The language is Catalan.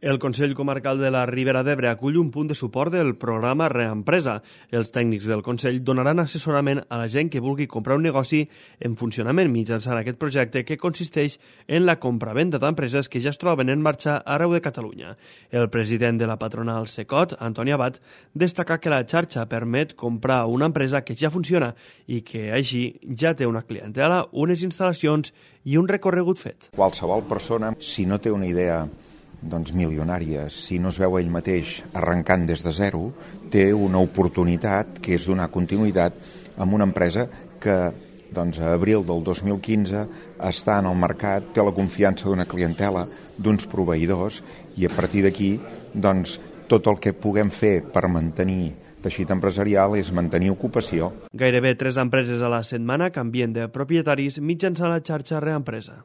El Consell Comarcal de la Ribera d'Ebre acull un punt de suport del programa Reempresa. Els tècnics del Consell donaran assessorament a la gent que vulgui comprar un negoci en funcionament mitjançant aquest projecte que consisteix en la compra-venda d'empreses que ja es troben en marxa arreu de Catalunya. El president de la patronal Secot, Antoni Abad, destaca que la xarxa permet comprar una empresa que ja funciona i que així ja té una clientela, unes instal·lacions i un recorregut fet. Qualsevol persona, si no té una idea milionària, si no es veu ell mateix arrencant des de zero, té una oportunitat que és donar continuïtat amb una empresa que a abril del 2015 està en el mercat, té la confiança d'una clientela, d'uns proveïdors, i a partir d'aquí tot el que puguem fer per mantenir teixit empresarial és mantenir ocupació. Gairebé 3 empreses a la setmana canvien de propietaris mitjançant la xarxa Reempresa.